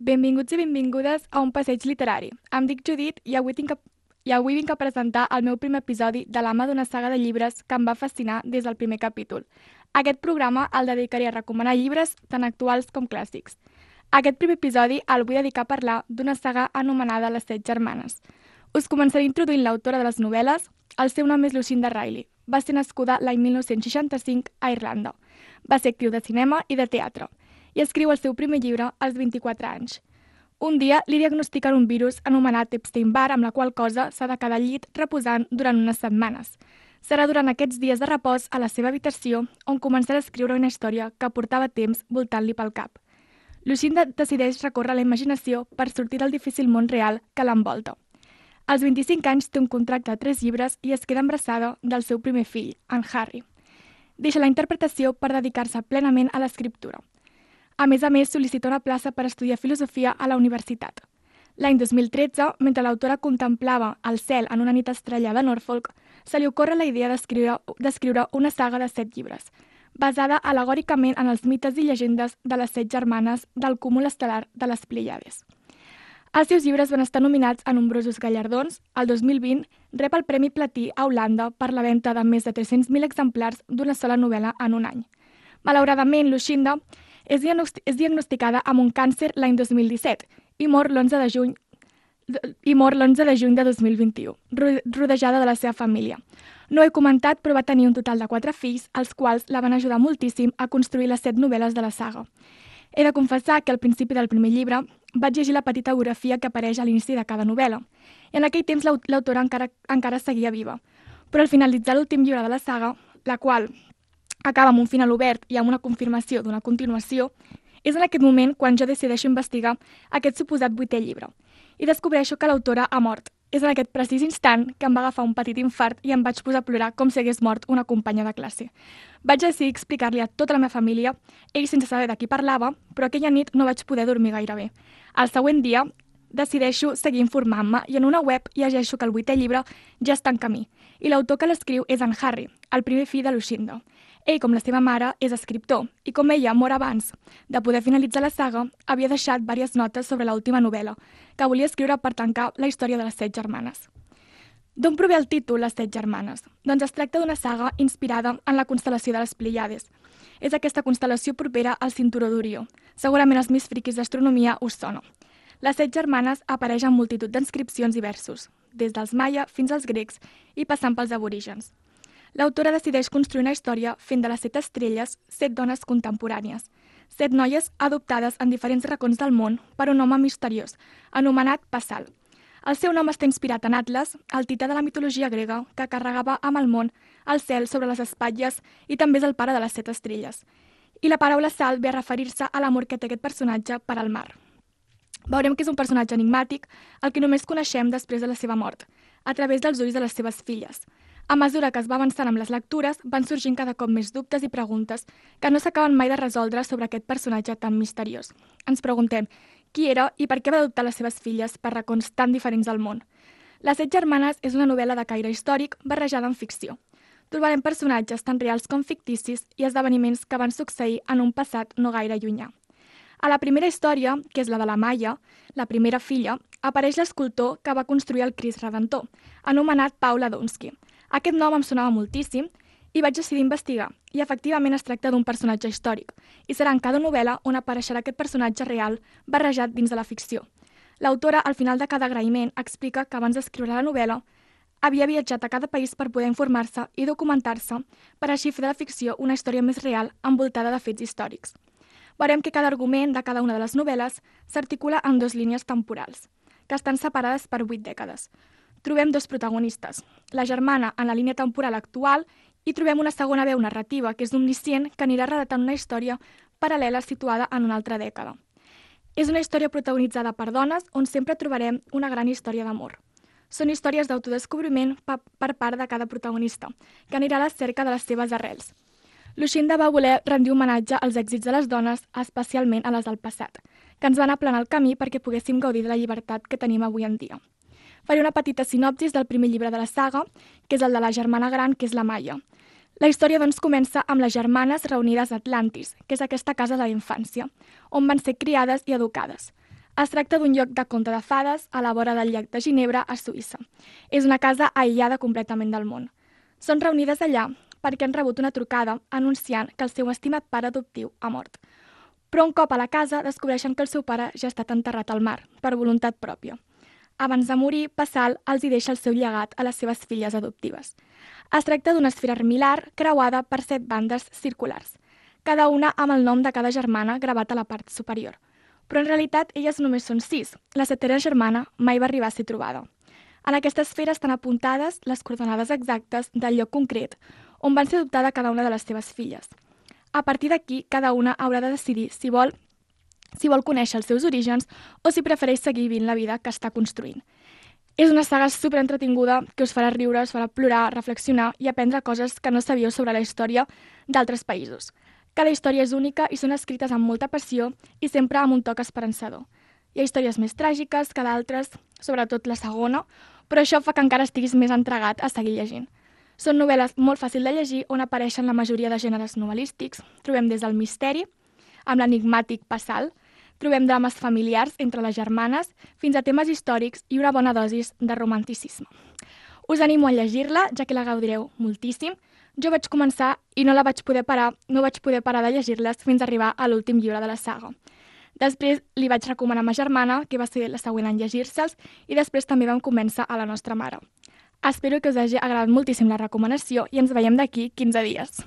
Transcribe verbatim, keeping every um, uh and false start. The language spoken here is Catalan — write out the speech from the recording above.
Benvinguts i benvingudes a un passeig literari. Em dic Judit i avui, tinc a... i avui vinc a presentar el meu primer episodi de l'ama d'una saga de llibres que em va fascinar des del primer capítol. Aquest programa el dedicaré a recomanar llibres tant actuals com clàssics. Aquest primer episodi el vull dedicar a parlar d'una saga anomenada Les Set Germanes. Us començaré introduint l'autora de les novel·les. El seu nom és Lucinda Riley. Va ser nascuda l'any mil nou-cents seixanta-cinc a Irlanda. Va ser actriu de cinema i de teatre i escriu el seu primer llibre als vint-i-quatre anys. Un dia li diagnostiquen un virus anomenat Epstein-Barr, amb la qual cosa s'ha de quedar al llit reposant durant unes setmanes. Serà durant aquests dies de repòs a la seva habitació on començarà a escriure una història que portava temps voltant-li pel cap. Lucinda decideix recórrer a la imaginació per sortir del difícil món real que l'envolta. Als vint-i-cinc anys té un contracte de tres llibres i es queda embarassada del seu primer fill, en Harry. Deixa la interpretació per dedicar-se plenament a l'escriptura. A més a més, sol·licita una plaça per estudiar filosofia a la universitat. L'any dos mil tretze, mentre l'autora contemplava el cel en una nit estrellada a Norfolk, se li ocorre la idea d'escriure una saga de set llibres, basada alegòricament en els mites i llegendes de les set germanes del cúmul estel·lar de les Plèiades. Els seus llibres van estar nominats a nombrosos gallardons. El dos mil vint rep el Premi Platí a Holanda per la venda de més de tres-cents mil exemplars d'una sola novel·la en un any. Malauradament, Lucinda és diagnosticada amb un càncer l'any dos mil disset i mor l'onze de juny i mor l'onze de juny de dos mil vint-i-u, rodejada de la seva família. No he comentat, però va tenir un total de quatre fills, els quals la van ajudar moltíssim a construir les set novel·les de la saga. He de confessar que al principi del primer llibre vaig llegir la petita biografia que apareix a l'inici de cada novel·la, i en aquell temps l'autora encara, encara seguia viva. Però al finalitzar l'últim llibre de la saga, la qual acaba amb un final obert i amb una confirmació d'una continuació, és en aquest moment quan jo decideixo investigar aquest suposat vuitè llibre i descobreixo que l'autora ha mort. És en aquest precís instant que em va agafar un petit infart i em vaig posar a plorar com si hagués mort una companya de classe. Vaig decidir explicar-li a tota la meva família, ell sense saber de qui parlava, però aquella nit no vaig poder dormir gaire bé. El següent dia decideixo seguir informant-me i en una web llegeixo que el vuitè llibre ja està en camí i l'autor que l'escriu és en Harry, el primer fill de Lucinda. Ell, com la seva mare, és escriptor i com ella mor abans de poder finalitzar la saga, havia deixat diverses notes sobre l'última novel·la que volia escriure per tancar la història de les set germanes. D'on prové el títol Les Set Germanes? Doncs es tracta d'una saga inspirada en la constel·lació de les Plèiades. És aquesta constel·lació propera al cinturó d'Orió. Segurament els més friquis d'astronomia us sona. Les set germanes apareix en multitud d'inscripcions i versos, des dels maia fins als grecs i passant pels aborígens. L'autora decideix construir una història fent de les set estrelles set dones contemporànies, set noies adoptades en diferents racons del món per un home misteriós, anomenat Passal. El seu nom està inspirat en Atlas, el tità de la mitologia grega, que carregava amb el món el cel sobre les espatlles i també és el pare de les set estrelles. I la paraula sal ve a referir-se a l'amor que té aquest personatge per al mar. Veurem que és un personatge enigmàtic, el que només coneixem després de la seva mort, a través dels ulls de les seves filles. A mesura que es va avançant amb les lectures, van sorgint cada cop més dubtes i preguntes que no s'acaben mai de resoldre sobre aquest personatge tan misteriós. Ens preguntem qui era i per què va adoptar les seves filles per racons tan diferents del món. Les set germanes és una novel·la de caire històric barrejada en ficció. Trobarem personatges tan reals com ficticis i esdeveniments que van succeir en un passat no gaire llunyà. A la primera història, que és la de la Maia, la primera filla, apareix l'escultor que va construir el Crist Redentor, anomenat Paul Adonsky. Aquest nom em sonava moltíssim i vaig decidir investigar, i efectivament es tracta d'un personatge històric, i serà en cada novel·la on apareixerà aquest personatge real barrejat dins de la ficció. L'autora, al final de cada agraïment, explica que abans d'escriure la novel·la havia viatjat a cada país per poder informar-se i documentar-se per així fer de la ficció una història més real envoltada de fets històrics. Veurem que cada argument de cada una de les novel·les s'articula en dues línies temporals, que estan separades per vuit dècades. Trobem dos protagonistes, la germana en la línia temporal actual i trobem una segona veu narrativa, que és omniscient, que anirà relatant una història paral·lela situada en una altra dècada. És una història protagonitzada per dones on sempre trobarem una gran història d'amor. Són històries d'autodescobriment per part de cada protagonista, que anirà a la cerca de les seves arrels. Lucinda va voler rendir homenatge als èxits de les dones, especialment a les del passat, que ens van aplanar el camí perquè poguéssim gaudir de la llibertat que tenim avui en dia. Faré una petita sinopsis del primer llibre de la saga, que és el de la germana gran, que és la Maia. La història, doncs, comença amb les germanes reunides a Atlantis, que és aquesta casa de la infància, on van ser criades i educades. Es tracta d'un lloc de conte de fades a la vora del llac de Ginebra, a Suïssa. És una casa aïllada completament del món. Són reunides allà perquè han rebut una trucada anunciant que el seu estimat pare adoptiu ha mort. Però un cop a la casa descobreixen que el seu pare ja ha estat enterrat al mar, per voluntat pròpia. Abans de morir, Passal els hi deixa el seu llegat a les seves filles adoptives. Es tracta d'una esfera armilar creuada per set bandes circulars, cada una amb el nom de cada germana gravat a la part superior. Però en realitat elles només són sis. La setena germana mai va arribar a ser trobada. En aquesta esfera estan apuntades les coordenades exactes del lloc concret on van ser adoptada cada una de les seves filles. A partir d'aquí, cada una haurà de decidir si vol, si vol conèixer els seus orígens o si prefereix seguir vivint la vida que està construint. És una saga superentretinguda que us farà riure, us farà plorar, reflexionar i aprendre coses que no sabíeu sobre la història d'altres països. Cada història és única i són escrites amb molta passió i sempre amb un toc esperançador. Hi ha històries més tràgiques que d'altres, sobretot la segona, però això fa que encara estiguis més entregat a seguir llegint. Són novel·les molt fàcils de llegir on apareixen la majoria de gèneres novel·lístics. Trobem des del misteri, amb l'enigmàtic Passal, trobem drames familiars entre les germanes, fins a temes històrics i una bona dosis de romanticisme. Us animo a llegir-la, ja que la gaudireu moltíssim. Jo vaig començar i no la vaig poder parar, no vaig poder parar de llegir-les fins a arribar a l'últim llibre de la saga. Després li vaig recomanar a ma germana, que va ser la següent en llegir-se'ls, i després també vam convèncer a la nostra mare. Espero que us hagi agradat moltíssim la recomanació i ens veiem d'aquí quinze dies.